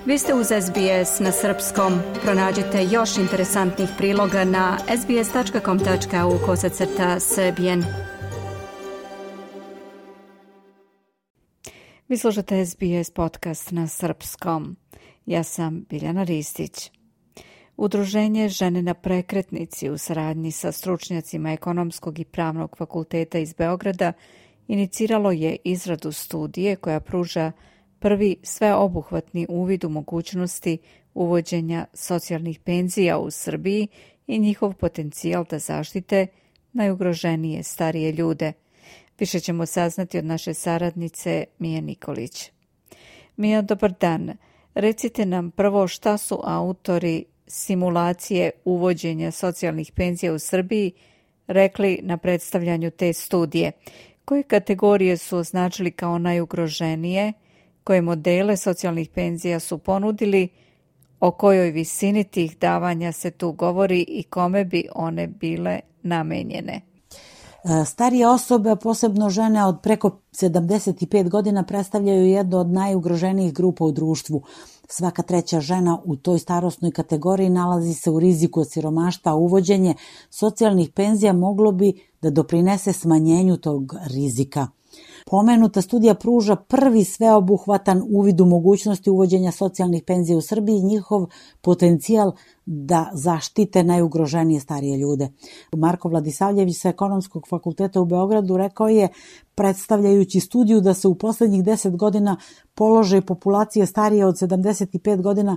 Vi ste uz SBS na srpskom. Pronađite još interesantnih priloga na sbs.com.au/srbijen. Vi slušate SBS podcast na srpskom. Ja sam Biljana Ristić. Udruženje Žene na prekretnici u saradnji sa stručnjacima Ekonomskog i Pravnog fakulteta iz Beograda iniciralo je izradu studije koja pruža prvi sveobuhvatni uvid u mogućnosti uvođenja socijalnih penzija u Srbiji i njihov potencijal da zaštite najugroženije starije ljude. Više ćemo saznati od naše saradnice Mije Nikolić. Mija, dobar dan. Recite nam prvo šta su autori simulacije uvođenja socijalnih penzija u Srbiji rekli na predstavljanju te studije. Koje kategorije su označili kao najugroženije, koje modele socijalnih penzija su ponudili, o kojoj visini tih davanja se tu govori i kome bi one bile namenjene? Starije osobe, posebno žene od preko 75 godina, predstavljaju jednu od najugroženijih grupa u društvu. Svaka treća žena u toj starosnoj kategoriji nalazi se u riziku od siromaštva, a uvođenje socijalnih penzija moglo bi da doprinese smanjenju tog rizika. Pomenuta studija pruža prvi sveobuhvatan uvid u mogućnosti uvođenja socijalnih penzija u Srbiji i njihov potencijal da zaštite najugroženije starije ljude. Marko Vladisavljević sa Ekonomskog fakulteta u Beogradu rekao je, predstavljajući studiju, da se u poslednjih 10 godina položaj populacije starije od 75 godina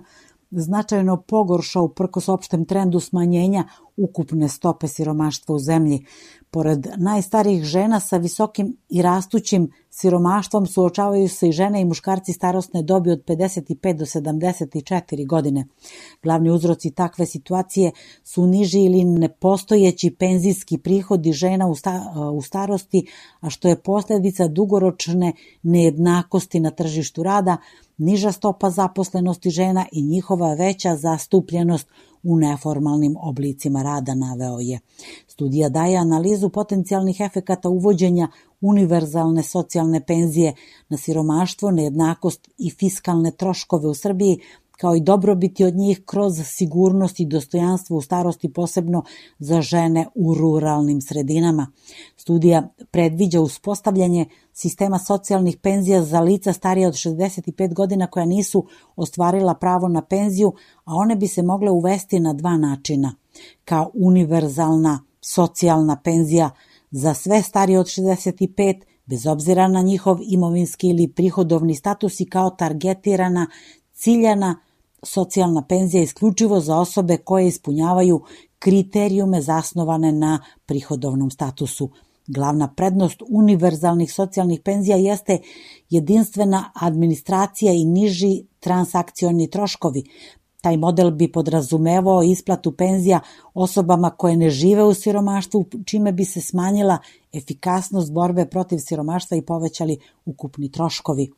značajno pogoršao uprkos opštem trendu smanjenja ukupne stope siromaštva u zemlji. Pored najstarijih žena sa visokim i rastućim siromaštvom suočavaju se i žene i muškarci starosne dobi od 55 do 74 godine. Glavni uzroci takve situacije su niži ili nepostojeći penzijski prihodi žena u starosti, a što je posljedica dugoročne nejednakosti na tržištu rada, niža stopa zaposlenosti žena i njihova veća zastupljenost u neformalnim oblicima rada, naveo je. Studija daje analizu potencijalnih efekata uvođenja univerzalne socijalne penzije na siromaštvo, nejednakost i fiskalne troškove u Srbiji, kao i dobrobiti od njih kroz sigurnost i dostojanstvo u starosti, posebno za žene u ruralnim sredinama. Studija predviđa uspostavljanje sistema socijalnih penzija za lica starije od 65 godina koja nisu ostvarila pravo na penziju, a one bi se mogle uvesti na dva načina. Kao univerzalna socijalna penzija za sve starije od 65, bez obzira na njihov imovinski ili prihodovni status, i kao targetirana, ciljana socijalna penzija isključivo za osobe koje ispunjavaju kriterijume zasnovane na prihodovnom statusu. Glavna prednost univerzalnih socijalnih penzija jeste jedinstvena administracija i niži transakcioni troškovi. Taj model bi podrazumevao isplatu penzija osobama koje ne žive u siromaštvu, čime bi se smanjila efikasnost borbe protiv siromaštva i povećali ukupni troškovi.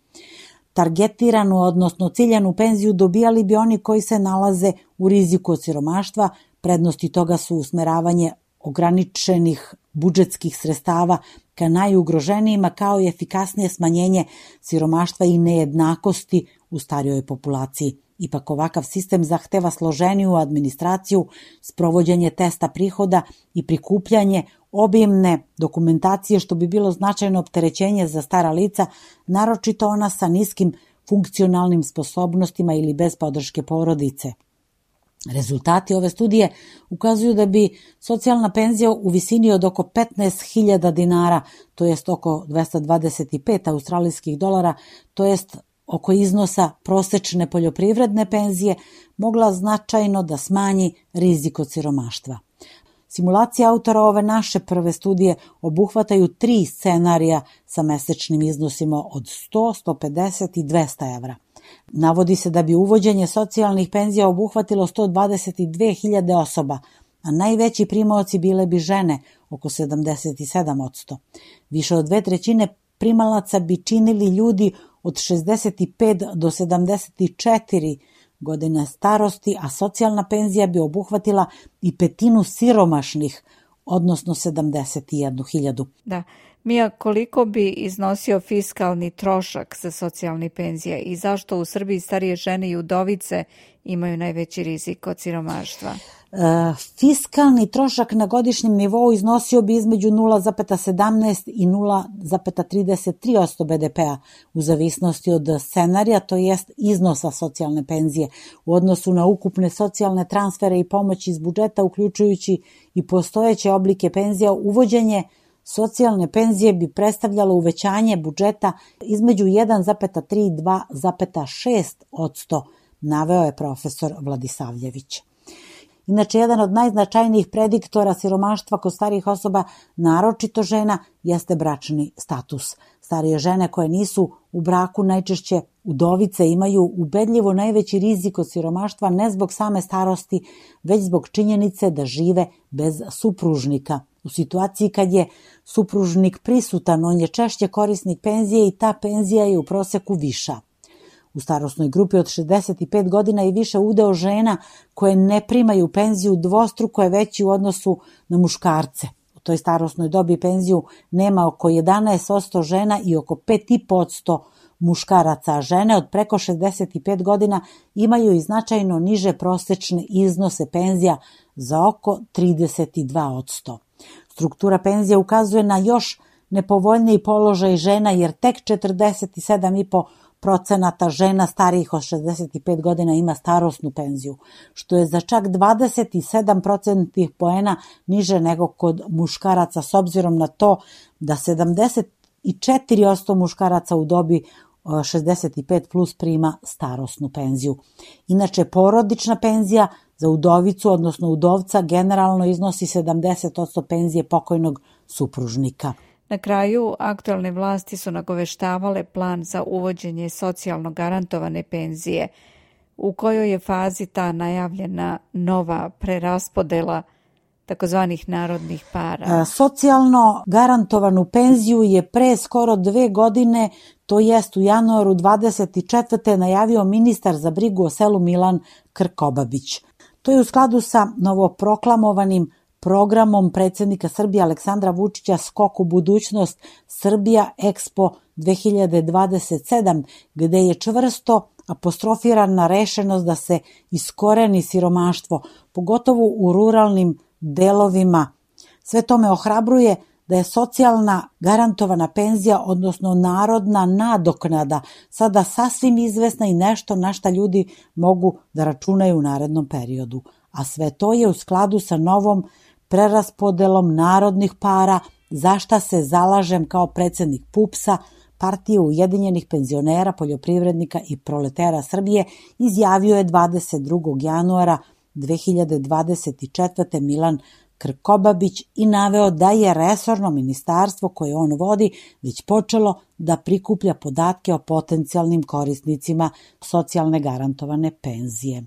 Targetiranu, odnosno ciljanu penziju dobijali bi oni koji se nalaze u riziku od siromaštva. Prednosti toga su usmeravanje ograničenih budžetskih sredstava ka najugroženijima, kao i efikasnije smanjenje siromaštva i nejednakosti u starijoj populaciji. Ipak ovakav sistem zahteva složeniju administraciju, sprovođenje testa prihoda i prikupljanje obimne dokumentacije, što bi bilo značajno opterećenje za stara lica, naročito ona sa niskim funkcionalnim sposobnostima ili bez podrške porodice. Rezultati ove studije ukazuju da bi socijalna penzija u visini od oko 15.000 dinara, to jest oko 225 australijskih dolara, to jest oko iznosa prosečne poljoprivredne penzije, mogla značajno da smanji rizik od siromaštva. Simulacije autora ove naše prve studije obuhvataju 3 scenarija sa mesečnim iznosima od 100, 150 i 200 evra. Navodi se da bi uvođenje socijalnih penzija obuhvatilo 122.000 osoba, a najveći primaoci bile bi žene, oko 77%. Više od 2/3 primalaca bi činili ljudi od 65 do 74 godine starosti, a socijalna penzija bi obuhvatila i 1/5 siromašnih, odnosno 71.000. Da, Mija, koliko bi iznosio fiskalni trošak za socijalne penzije i zašto u Srbiji starije žene i udovice imaju najveći rizik od siromaštva? Fiskalni trošak na godišnjem nivou iznosio bi između 0,17 i 0,33% BDP-a u zavisnosti od scenarija, to jest iznosa socijalne penzije u odnosu na ukupne socijalne transfere i pomoći iz budžeta, uključujući i postojeće oblike penzija. Uvođenje socijalne penzije bi predstavljalo uvećanje budžeta između 1,3 i 2,6%, naveo je profesor Vladisavljević. Inače, jedan od najznačajnijih prediktora siromaštva kod starijih osoba, naročito žena, jeste bračni status. Starije žene koje nisu u braku, najčešće udovice, imaju ubedljivo najveći rizik od siromaštva ne zbog same starosti, već zbog činjenice da žive bez supružnika. U situaciji kad je supružnik prisutan, on je češće korisnik penzije i ta penzija je u proseku viša. U starosnoj grupi od 65 godina i više udeo žena koje ne primaju penziju dvostruko je veći u odnosu na muškarce. U toj starosnoj dobi penziju nema oko 11% žena i oko 5,5% muškaraca, a žene od preko 65 godina imaju i značajno niže prosečne iznose penzija za oko 32%. Struktura penzija ukazuje na još nepovoljniji položaj žena jer tek 47,5% žena starijih od 65 godina ima starosnu penziju, što je za čak 27% poena niže nego kod muškaraca, s obzirom na to da 74% muškaraca u dobi 65 plus prima starosnu penziju. Inače, porodična penzija za udovicu, odnosno udovca, generalno iznosi 70% penzije pokojnog supružnika. Na kraju, aktualne vlasti su nagoveštavale plan za uvođenje socijalno garantovane penzije. U kojoj je fazi ta najavljena nova preraspodela takozvanih narodnih para? Socijalno garantovanu penziju je pre skoro 2 godine, to jest u januaru 24. najavio ministar za brigu o selu Milan Krkobabić. To je u skladu sa novoproklamovanim programom predsjednika Srbije Aleksandra Vučića Skok u budućnost Srbija Expo 2027, gde je čvrsto apostrofirana rešenost da se iskoreni siromaštvo, pogotovo u ruralnim delovima. Sve to me ohrabruje da je socijalna garantovana penzija, odnosno narodna nadoknada, sada sasvim izvesna i nešto na šta ljudi mogu da računaju u narednom periodu. A sve to je u skladu sa novom preraspodelom narodnih para, za šta se zalažem kao predsjednik PUPS-a, Partije ujedinjenih penzionera, poljoprivrednika i proletera Srbije, izjavio je 22. januara 2024. Milan Krkobabić i naveo da je resorno ministarstvo koje on vodi već počelo da prikuplja podatke o potencijalnim korisnicima socijalne garantovane penzije.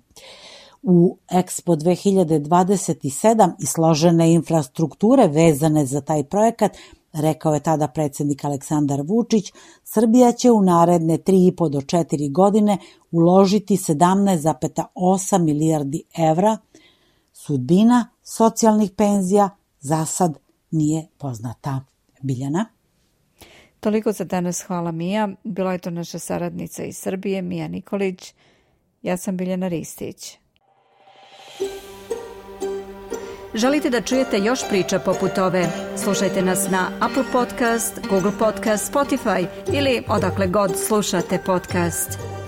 U Expo 2027 i složene infrastrukture vezane za taj projekat, rekao je tada predsjednik Aleksandar Vučić, Srbija će u naredne 3,5 do 4 godine uložiti 17,8 milijardi evra. Sudbina socijalnih penzija za sad nije poznata. Biljana? Toliko za danas, hvala Mija. Bila je to naša saradnica iz Srbije, Mija Nikolić. Ja sam Biljana Ristić. Želite da čujete još priča poput ove? Slušajte nas na Apple Podcast, Google Podcast, Spotify ili odakle god slušate podcast.